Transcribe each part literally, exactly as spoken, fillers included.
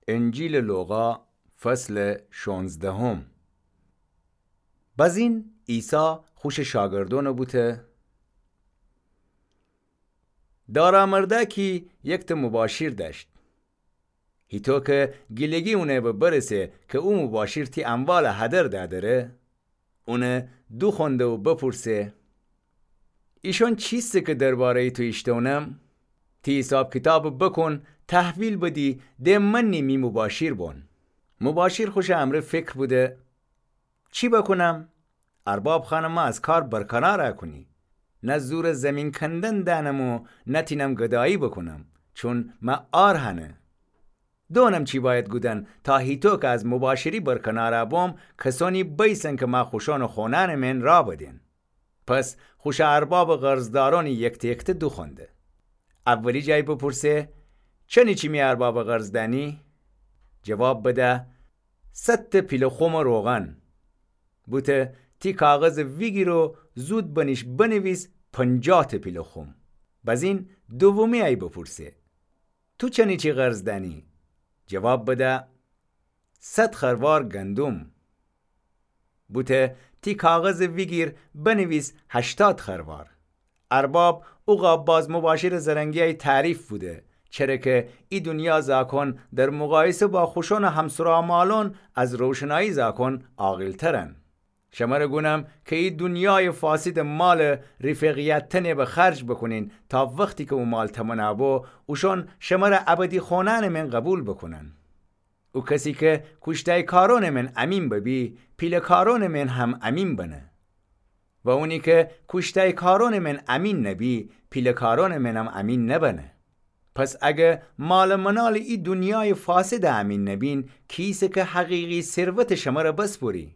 انجیلٚ لوقا، فصلٚ شونزدهم. بزین عیسی خوشٚ شاگردأنَ بوته: دارا مردأکی یکتأ مباشیر دأشت. هیطو کی گیلگی اونَ به برسه کی او مباشیر تی اموالَ هدر دأدره، اونَ دوخونده و بپورسه: ایشأن چیسه کی درباره‌یٚ تو ایشتأونم؟ تی حیساب کیتابَ بکون، تحویل بدی، د منی می مباشیر بون. مباشیر خوشٚ امرأ فکر بوده: چی بکونم؟ ارباب خوأنه مه از کار برکنارَ کونی. نه زورٚ زیمین کندن دأنم و نه تینم گدایی بکونم، چون مه عار هنه. دونم چی بأید گودن تا هیطو کی از مباشری برکنارَ بوم، کسأنی بیسن کی مه خوشأنٚ خونأنٚ مئن راه بدین. پس خوشٚ اربابٚ قرضدارأنی یکته یکته دوخونده. اولی جای بپورسه: چنی چی می اربابَ قرض دأنی؟ جواب بده: صدتأ پیله خومٚ روغن. بوته: تی کاغذَ ویگیر و زود بنیش بنیویس پنجاهتأ پیله خوم. بزین دومی ای بپورسه: تو چنی چی قرض دأنی؟ جواب بده: صد خروار گندم. بوته: تی کاغذَ ویگیر بنیویس هشتاد خروار. ارباب اوقا باز مباشرٚ زرنگی ای تعریف بوده، چره کی ای دونیا زاکون در مقایسه با خوشأنٚ همسرا مالون از روشنایی زاکون عاقلترن. شمره گونم کی ای دونیایٚ فاسدٚ مالٚ ریفقیتنه به خرج بکونین تا وختی کی او مال تمنا بو، اوشون شمره ابدی خونأنٚ مئن قبول بکونن. او کسی کی کوشتایکارونٚ مئن امین ببی، پیله‌کارونٚ مئن هم امین بنه. و اونی کی کوشتایکارونٚ مئن امین نبی، پیله‌کارونٚ مئنم امین نبنه. پس اگر مال و منالٚ ای دونیایٚ فاسدٚ امین نبین، کیسه کی حقیقی ثروتٚ شمره بسپوری؟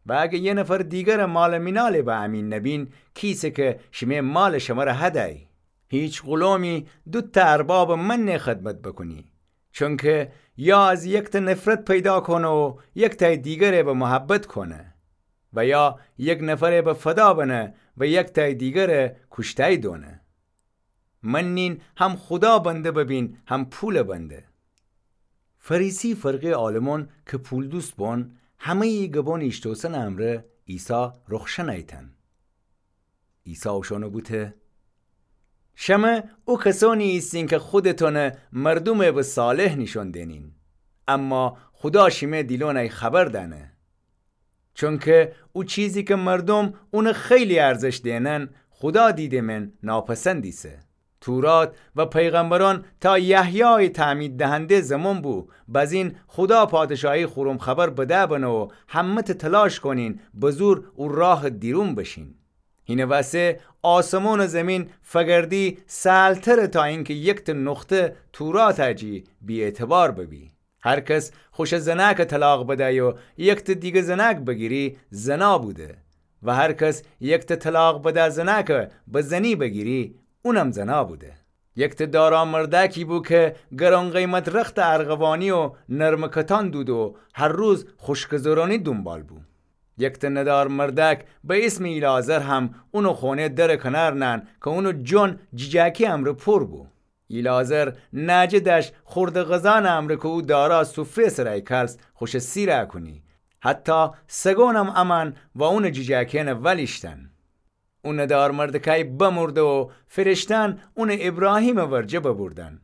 و اگر یه نفر دیگرٚ مال و منالٚ به امین نبین، کیسه کی شیمه مالٚ شمره هدأی؟ هیچ غلومی دوتأ اربابٚ منه خدمت بکونی، چونکی یا از یکتأ نفرت پیدا کونه و یکتأی دیگره به محبت کونه، و یا یک نفره به فدا بنه و یکتأی دیگره کوشتأی دونه. منین هم خودا بنده ببین، هم پولٚ بنده. فریسی فرقه‌یٚ عالمون کی پولدوست بون، همه‌یی گبونٚ ایشتوسنٚ امرأ عیسی رخشن ایتن. عیسی اوشانه بوته: شمه او کسونی ایسین کی خودتونه مردومٚ به صالح نیشون دینین، اما خودا شیمه دیلونٚ خبر دأنه. چونکی او چیزی کی مردوم اونه خیلی ارزش دینن، خودا دیدٚ مئن ناپسند ایسه. تورات و پیغمبرون تا یحیایٚ تعمید دهنده زمون بو، بزین خودا پادشاهی خورم خبر بده بنه و همه‌تأ تلاش کونین به زور او راهٚ دیرون بشین. هینه وسه آسمون و زمین فگردی سهلتره تا اینکی یکتأ نقطه توراتٚ جی بی‌اعتبار ببی. هر کس خوشٚ زنأکٚ طلاق بدأی و یکتأ دیگه زنأک بگیری، زنا بوده. و هر کس یکتأ طلاق بده زنأکٚ به زنی بگیری، اونم زنا بوده. یکتأ دارا مردأکی بو کی گران‌قیمت رختٚ ارغوانی و نرمٚ کتان دود و هر روز خوشکٚ زرونی دونبال بو. یکتأ ندار مردأک به ایسمٚ ایلعازر هم اونٚ خونه درٚ کنار نأن کی اونٚ جون جیجأکی امرأ پور بو. ایلعازر نأجه دأشت خوردٚ غذانٚ امرأ کی او دارا سفره‌یٚ سرای کلس خوشٚ سیرَ کونی. حتی سگونم امأن و اونٚ جیجأکی‌یأنٚ ول ایشتن. او ندار مردکأی بمرده و فرشته‌یأن اونٚ ایبراهیمٚ ورجه ببردن.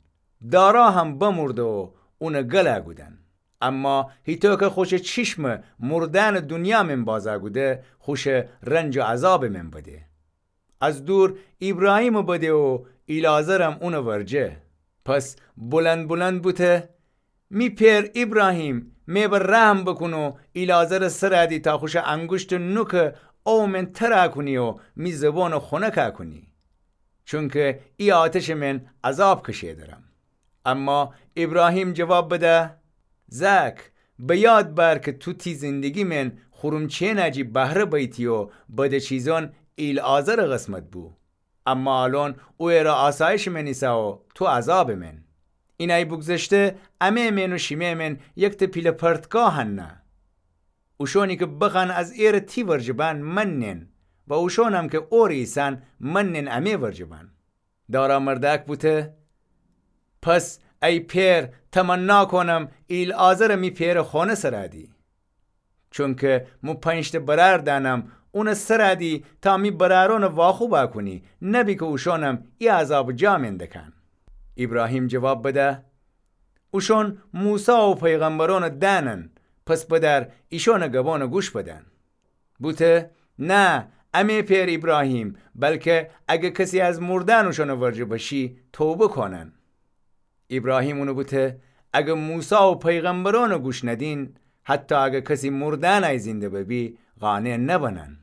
دارا هم بمرده و اونٚ گلَ کودن. اما هیطو کی خوشٚ چیشمَ مرده‌یأنٚ دونیا مئن بازَ کوده، خوشٚ رنج و عذابٚ مئن بده. از دور ایبراهیمَ بده و ایلعازرم اونٚ ورجه. پس بلند بلند بوته: می پئر ایبراهیم، مه به رحم بوکون و ایلعازرٚ سرَ دی تا خوشٚ انگوشتٚ نوکَ او مئن ترَ کونی و می زبونَ خونکَ کونی. چونکی ای آتشٚ مئن عذاب کشه درم. اما ایبراهیم جواب بده: زأک، به یاد بأر کی تو تی زندگی مئن خورم چئنٚ جی بهره بیتی و بدٚ چیزأن ایلعازرٚ قسمت بو. اما الأن او ایرَ آسایشٚ مئن ایسه و تو عذابٚ مئن. اینأی بوگذشته امه مئن و شیمه مئن یکتأ پیله پرتگاه هنه. اوشأنی کی بخوأن از ایرٚ تی ورجه بأن مننن و اوشأنم کی اورٚ ایسن مننن امه ورجه بأن. دارا مردأک بوته: پس ای پئر، تمنا کونم ایلعازرَ می پئرٚ خؤنه سرَ دی. چونکه مو پنج‌تأ برأر دأنم اونٚ سرَ دی تا می برأرأنَ واخوبَ کونی، نبی کی اوشأنم ای عذابٚ جا مئن دکن. ایبراهیم جواب بده: اوشأن موسی و پیغمبرأنٚ دأنن، پس بدأر ایشأنٚ گبأنَ گوش بدن. بوته: نه، ا مه پئر ایبراهیم، بلکه اگه کسی از مردأن اوشأنٚ ورجه بشی، توبه کونن. ایبراهیم اونَ بوته: اگه موسی و پیغمبرأنَ گوش ندین، حتی اگه کسی مردأنی زنده ببی، قانع نبنن.